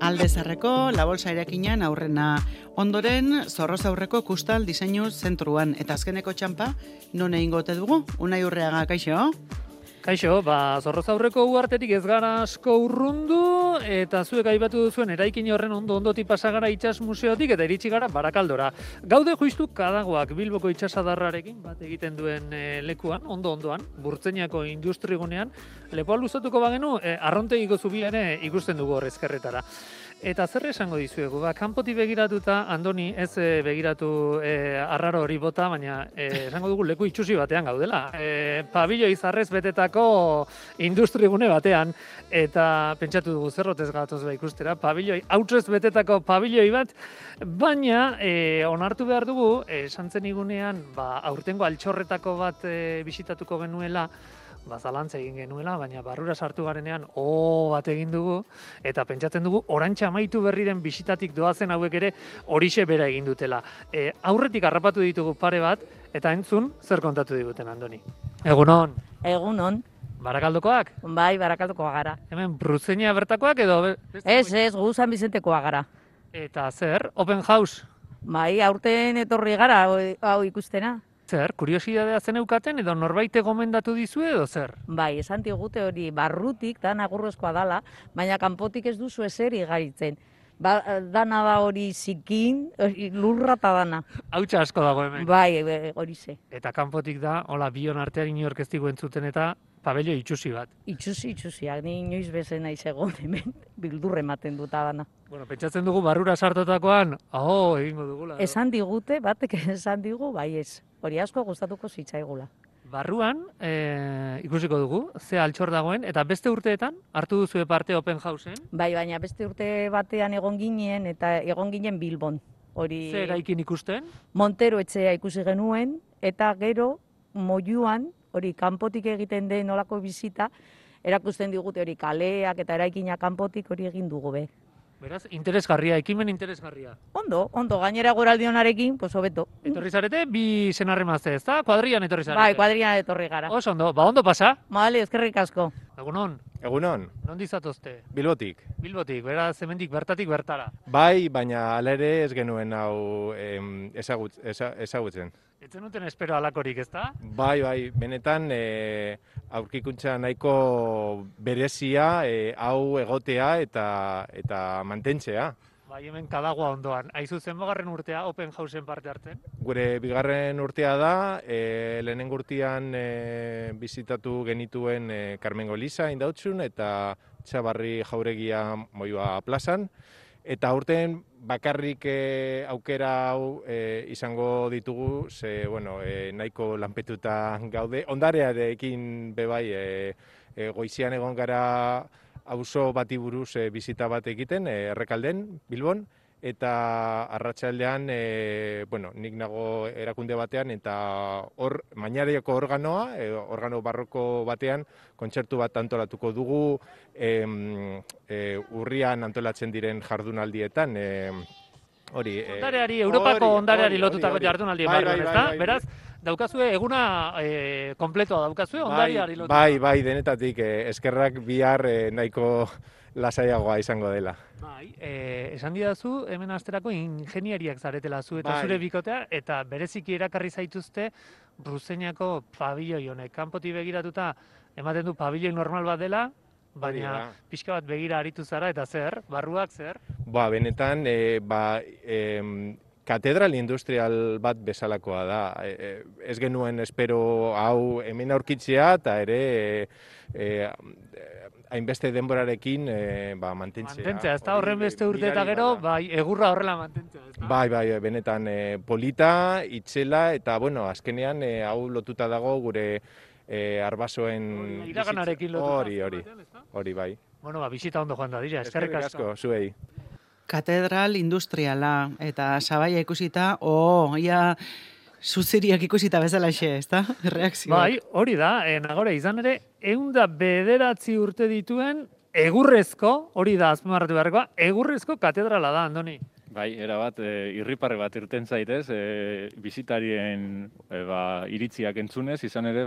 Aldezarreko La Bolsa Irekinan aurrena. Ondoren, Zorroz aurreko Kustal Diseinu Zentruan. Eta azkeneko txampa, non egingo ote dugu? Unai Urreaga, kaixo? Kaixo, Zorroz aurreko uhartetik ez gara asko urrundu, eta zuek aipatu duzuen eraikin horren ondotik pasa gara itsas museotik eta iritsi gara Barakaldora. Gaude justu Kadagoak Bilboko itsasadarrarekin bat egiten duen lekuan, ondoan, Burtzeñako industrigunean, lepoa luzatuko bagenu, arrontegiko zubia ere ikusten dugu hor ezkerretara. Eta zer esango dizuegu, kanpotik begiratuta, Andoni, ez begiratu arraro hori bota, baina esango dugu leku itxusi batean gaudela. Pabiloi zarrez betetako industrigune batean, eta pentsatu dugu zerrotez gatoz ikustera, hautsez betetako pabiloi bat, baina onartu behar dugu, santzen igunean, aurtengo altxorretako bat bisitatuko genuela, zalantza egin genuela, baina barrura sartu garenean bat egin dugu, eta pentsatzen dugu orantxa amaitu berriren bisitatik doazen hauek ere horixe bera egin dutela. Aurretik harrapatu ditugu pare bat, eta entzun zer kontatu diguten, Andoni. Egunon. Egunon. Barakaldokoak? Bai, Barakaldokoa gara. Hemen Bruzenia bertakoak edo? Ez, gu San Bizentekoa gara. Eta zer, open house? Bai, aurten etorri gara hau ikustena. Zer, kuriosidadea zeneukaten edo norbaite gomendatu dizue edo zer? Bai, esan digute hori barrutik da nagurrezkoa dala, baina kanpotik ez duzu ezer igaritzen. Dana da hori zikin, lurra eta dana. Hautsa asko dago hemen. Bai, hori ze. Eta kanpotik da, hola, bion artean inork ez digu entzuten eta pabello itxusi bat. Itxusiak, ni inoiz bezen naiz egon hemen, bildurre ematen duta dana. Bueno, pentsatzen dugu barrura sartotakoan, egingo dugula. Esan digute, batek esan digu, bai ez. Hori asko gustatuko zitzaigula. Barruan ikusiko dugu, ze altxor dagoen, eta beste urteetan hartu duzue parte open houseen? Bai, baina beste urte batean egon ginen, eta egon ginen Bilbon. Ze eraikin ikusten? Montero etxea ikusi genuen, eta gero Moiuan, hori kanpotik egiten den olako bizita, erakusten digute hori kaleak eta eraikinak kanpotik hori egin dugu be. Beraz, interesgarria, ekimen interesgarria. Ondo, gainera goraldionarekin, pues hobeto. Etorri zarete, bi senarremazte, ez da? Kuadrian etorri zarete? Bai, kuadrian etorri gara. Ondo, ondo pasa? Bale, eskerrik asko. Egunon. Egunon. Nondi zatozte? Bilbotik. Bilbotik, beraz, hemendik bertatik bertara. Bai, baina hala ere ez genuen hau ezagutzen. Ez zenuten espero alakorik, ez da? Bai, benetan aurkikuntza nahiko berezia hau egotea eta mantentzea. Bai, hemen Kadagoa ondoan. Aizu zenbagarren urtea open houseen parte hartzen? Gure bigarren urtea da, lehenengo urtean bizitatu genituen Karmengo Eliza indautxun eta Txabarri Jauregia Moiua plazan. Eta aurten bakarrik aukera hau izango ditugu, ze nahiko lanpetuta gaude. Ondarearekin bebai goizian egon gara auzo bati buruz bizita bat egiten, Errekalden, Bilbon, eta arratsaldean nik nago erakunde batean, eta hor, Mañareko organoa, organo barroko batean, kontzertu bat antolatuko dugu, urrian antolatzen diren jardunaldietan, Ondareari, Europako ondareari lotutako jardunaldien barruan, ez da? Beraz, daukazue, eguna kompletoa daukazue, ondariari lotutako. Bai, denetatik, eskerrak bihar nahiko lasaiagoa izango dela. Bai, esan didazu, hemen asterako ingeniariak zaretela zu eta zure bikotea, eta bereziki erakarri zaituzte Bruzeniako pabiloi honek. Kanpotik begiratuta ematen du pabiloi normal bat dela, baina pixka bat begira aritu zara, eta zer, barruak zer? Benetan, katedral industrial bat bezalakoa da. Ez genuen espero hau hemen aurkitzea, eta ere hainbeste denborarekin mantentzea. Mantentzea, ez da horren beste urte eta gero, egurra horrela mantentzea, ez da? Bai, benetan polita, itxela, eta azkenean hau lotuta dago gure arbasoen... Iraganarekin lotuta. Hori, bai. Bisita ondo joan da, dira, eskerrik asko. Zuei. Katedral industriala, eta sabaia ikusita, ia zuziriak ikusita bezalaxe, ez da? Reakzioa. Bai, hori da, nagore, izan ere, 109 urte dituen egurrezko, hori da, azpimarratu beharrekoa, egurrezko katedrala da, Andoni. Bai, erabat, irriparre bat irten zaitez, bisitarien iritziak entzunez, izan ere,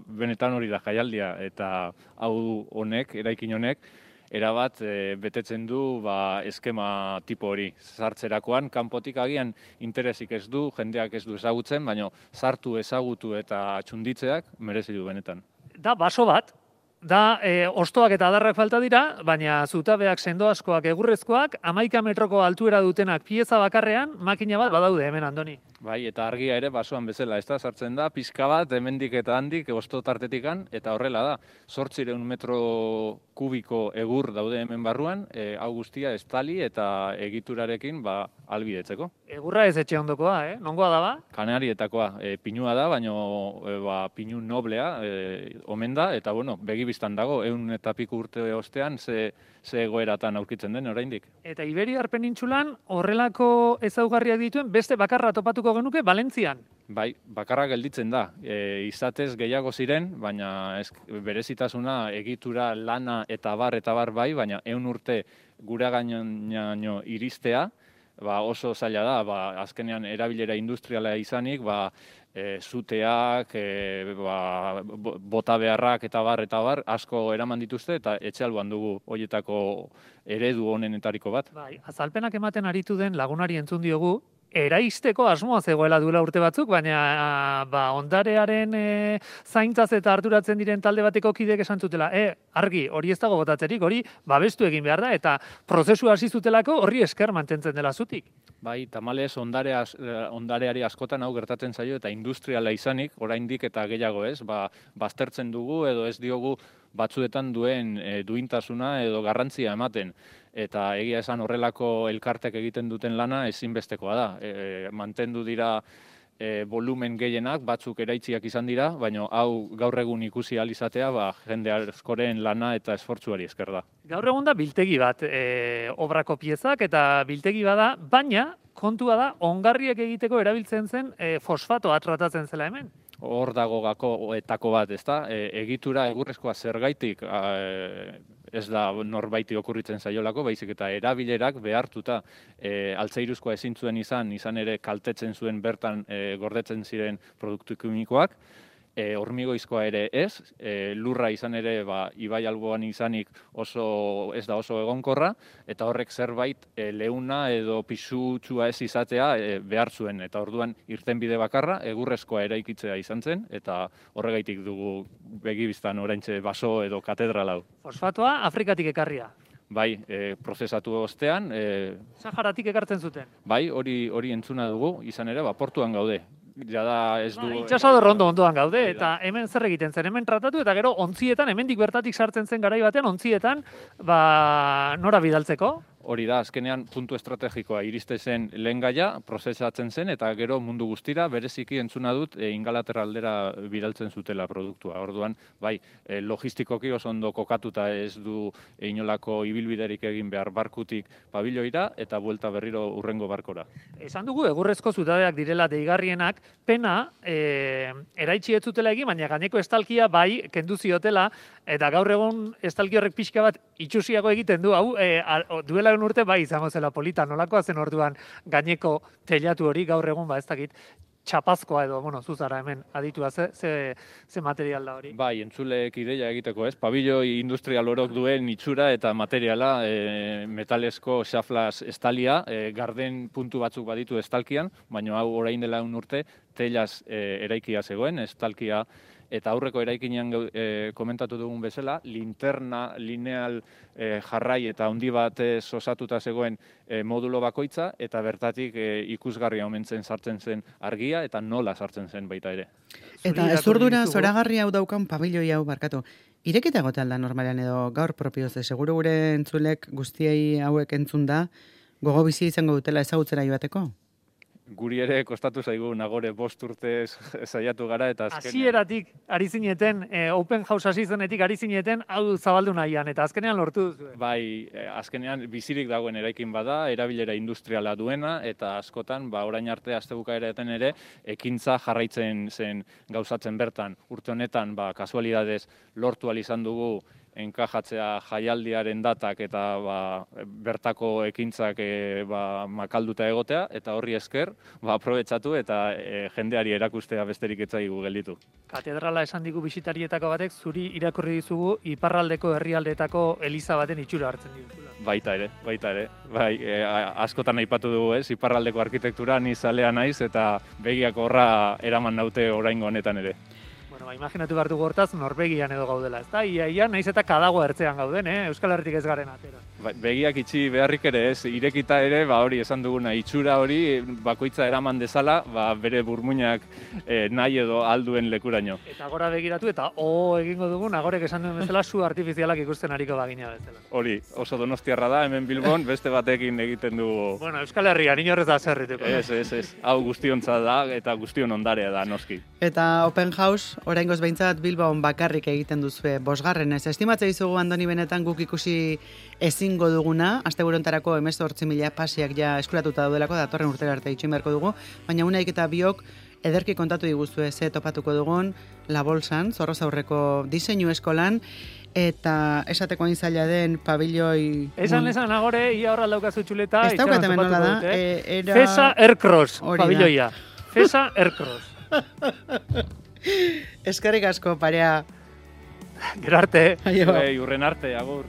benetan hori da jaialdia, eta hau honek, eraikin honek, erabat betetzen du eskema tipo hori. Sartzerakoan, kanpotik agian interesik ez du, jendeak ez du ezagutzen, baina sartu, ezagutu eta txunditzeak merezi du benetan. Da baso bat, da ostoak eta adarrak falta dira, baina zutabeak sendo askoak egurrezkoak, 11 metroko altuera dutenak pieza bakarrean, makina bat badaude hemen, Andoni. Bai, eta argia ere basoan bezala, ez da, sartzen da, pizka bat, hemendik eta handik, osto tartetikan, eta horrela da, 800 metro kubiko egur daude hemen barruan, hau guztia estali eta egiturarekin albidetzeko. Egurra ez etxe ondokoa, nongoa da ba? Kanarietakoa, pinua da, baina pinu noblea omen da, eta bueno, begibistan dago, 100 eta piku urte ostean, ze egoeratan aurkitzen den oraindik. Eta Iberiar penintsulan horrelako ezaugarriak dituen beste bakarra topatuko genuke Valentzian. Bai, bakarra gelditzen da. Izatez gehiago ziren, baina berezitasuna egitura lana eta bar bai, baina 100 urte guragaino iristea, oso zaila da, azkenean erabilera industriala izanik, zuteak, bota beharrak eta bar asko eraman dituzte eta etxe alboan dugu horietako eredu honenetariko bat. Bai, azalpenak ematen aritu den lagunari entzun diogu, eraisteko asmoa zegoela duela urte batzuk, baina ondarearen zaintzaz eta arduratzen diren talde bateko kideek esan zutela, argi, hori ez dago botatzerik, hori babestu egin behar da, eta prozesu hasi zutelako horri esker mantentzen dela zutik. Bai, tamalez ondareari askotan hau gertatzen zaio eta industriala izanik, oraindik eta gehiago ez, baztertzen dugu edo ez diogu batzuetan duen duintasuna edo garrantzia ematen. Eta egia esan horrelako elkartek egiten duten lana ezinbestekoa da. Mantendu dira volumen gehienak, batzuk eraitziak izan dira, baina hau gaur egun ikusi ahal izatea, jende askoren lana eta esfortzuari esker da. Gaur egun da biltegi bat, obrako piezak eta biltegi bada, baina kontua da ongarriek egiteko erabiltzen zen fosfatoa tratatzen zela hemen. Hor dago gakoetako bat, ezta? Egitura egurrezkoa zergaitik ez da norbaiti okurritzen zaiolako, baizik eta erabilerak behartuta altzairuzkoa ezin zuen izan ere kaltetzen zuen bertan gordetzen ziren produktu kimikoak, hormigoizkoa ere ez, lurra izan ere ibai alboan izanik ez da oso egonkorra, eta horrek zerbait leuna edo pisutsua ez izatea behar zuen, eta orduan irtenbide bakarra egurrezkoa eraikitzea izan zen, eta horregaitik dugu begibistan oraintxe baso edo katedral hau. Fosfatoa Afrikatik ekarria. Bai, prozesatu ostean. Saharatik ekartzen zuten. Bai, hori entzuna dugu, izan ere, portuan gaude. Jada ez du... Itxasador ondoan gaude, eta hemen zer egiten zen, hemen tratatu, eta gero ontzietan, hemendik bertatik sartzen zen garai batean, ontzietan, nora bidaltzeko? Hori da, azkenean puntu estrategikoa iriste zen lehen gaia, prozesatzen zen, eta gero mundu guztira, bereziki entzuna dut, Ingalaterra aldera bidaltzen zutela produktua. Orduan, bai, logistikoki oso ondo kokatuta ez du inolako ibilbiderik egin behar barkutik pabiloira, eta buelta berriro urrengo barkora. Esan dugu, egurrezko zutabeak direla deigarrienak, pena, eraitsi ez zutela egin, baina gaineko estalkia bai kendu ziotela, eta gaur egun estalki horrek pixka bat itxusiago egiten du, hau, duela urte bai izango zela polita, nolakoa zen orduan gaineko teilatu hori gaur egun ez dakit txapazkoa edo, zuzara hemen aditua ze material da hori. Bai, entzuleek ideia egiteko ez, pabilloi industrial orok duen itxura eta materiala metalesko xaflas estalia, garden puntu batzuk baditu estalkian, baina hau orain dela urte teilaz eraikia zegoen, estalkia. Eta aurreko eraikinean komentatu dugun bezala, linterna lineal jarrai eta handi batez osatuta zegoen modulo bakoitza, eta bertatik ikusgarria omentzen sartzen zen argia, eta nola sartzen zen baita ere. Eta ezurdura zoragarri hau daukan pabilloi hau barkatu. Irekita gotean da normalean edo gaur propioz, seguru gure entzulek guztiei hauek entzun da, gogo bizi izango dutela ezagutzera joateko? Guri ere kostatu zaigu nagore 5 urte saiatu gara eta azkenean. Hasieratik ari zineten, open house hasi zenetik ari zineten, hau zabaldu nahian, eta azkenean lortu duzu. Bai, azkenean bizirik dagoen eraikin bada, erabilera industriala duena, eta askotan, orain arte astebukaeretan ere, ekintza jarraitzen zen gauzatzen bertan. Urte honetan, kasualidadez lortu ahal izan dugu enkajatzea jaialdiaren datak eta bertako ekintzak makalduta egotea, eta horri esker aprobetxatu eta jendeari erakustea besterik ez zaigu gelditu. Katedrala esan digu bisitarietako batek zuri irakurri dizugu iparraldeko herrialdeetako eliza baten itxura hartzen dituzula. Baita ere. Bai, askotan aipatu dugu, iparraldeko arkitektura ni zalea naiz eta begiak horra eraman naute oraingo honetan ere. Bueno, imaginatu behar dugu hortaz Norvegian edo gaudela, ezta? Ia, naiz eta kadago ertzean gauden, Euskal Herritik ez garen atera. Begiak itxi beharrik ere ez, irekita ere, hori esan duguna, itxura hori bakoitza eraman dezala, bere burmuinak nahi edo alduen lekuraino. Eta gora begiratu eta egingo dugun, agorek esan duen bezala, su artifizialak ikusten ariko bagina bezala. Hori, oso donostiarra da, hemen Bilbon, beste batekin egiten dugu. Bueno, Euskal Herrian, inorrez da zerrituko. Ez, hau guztiontza da eta guztion ondarea da, noski. Eta Open House, oraingoz behintzat Bilbon bakarrik egiten duzue, 5. Estimatzea izugu Andoni benetan guk ikusi ezingo duguna, asteburontarako 18.000 pasiak ja eskuratuta daudelako, datorren urtera arte itxoin beharko dugu, baina unaik eta biok ederki kontatu diguzue ze topatuko dugun La Bolsan, Zorrozaurreko diseinu eskolan, eta esateko hain zaila den pabilloi... Esan agore, ia horra daukazu txuleta, ez daukat hemen nola da, Fesa Aircross, pabilloia. Fesa Aircross. Eskerrik asko, parea. Gero arte. Urren arte, agur.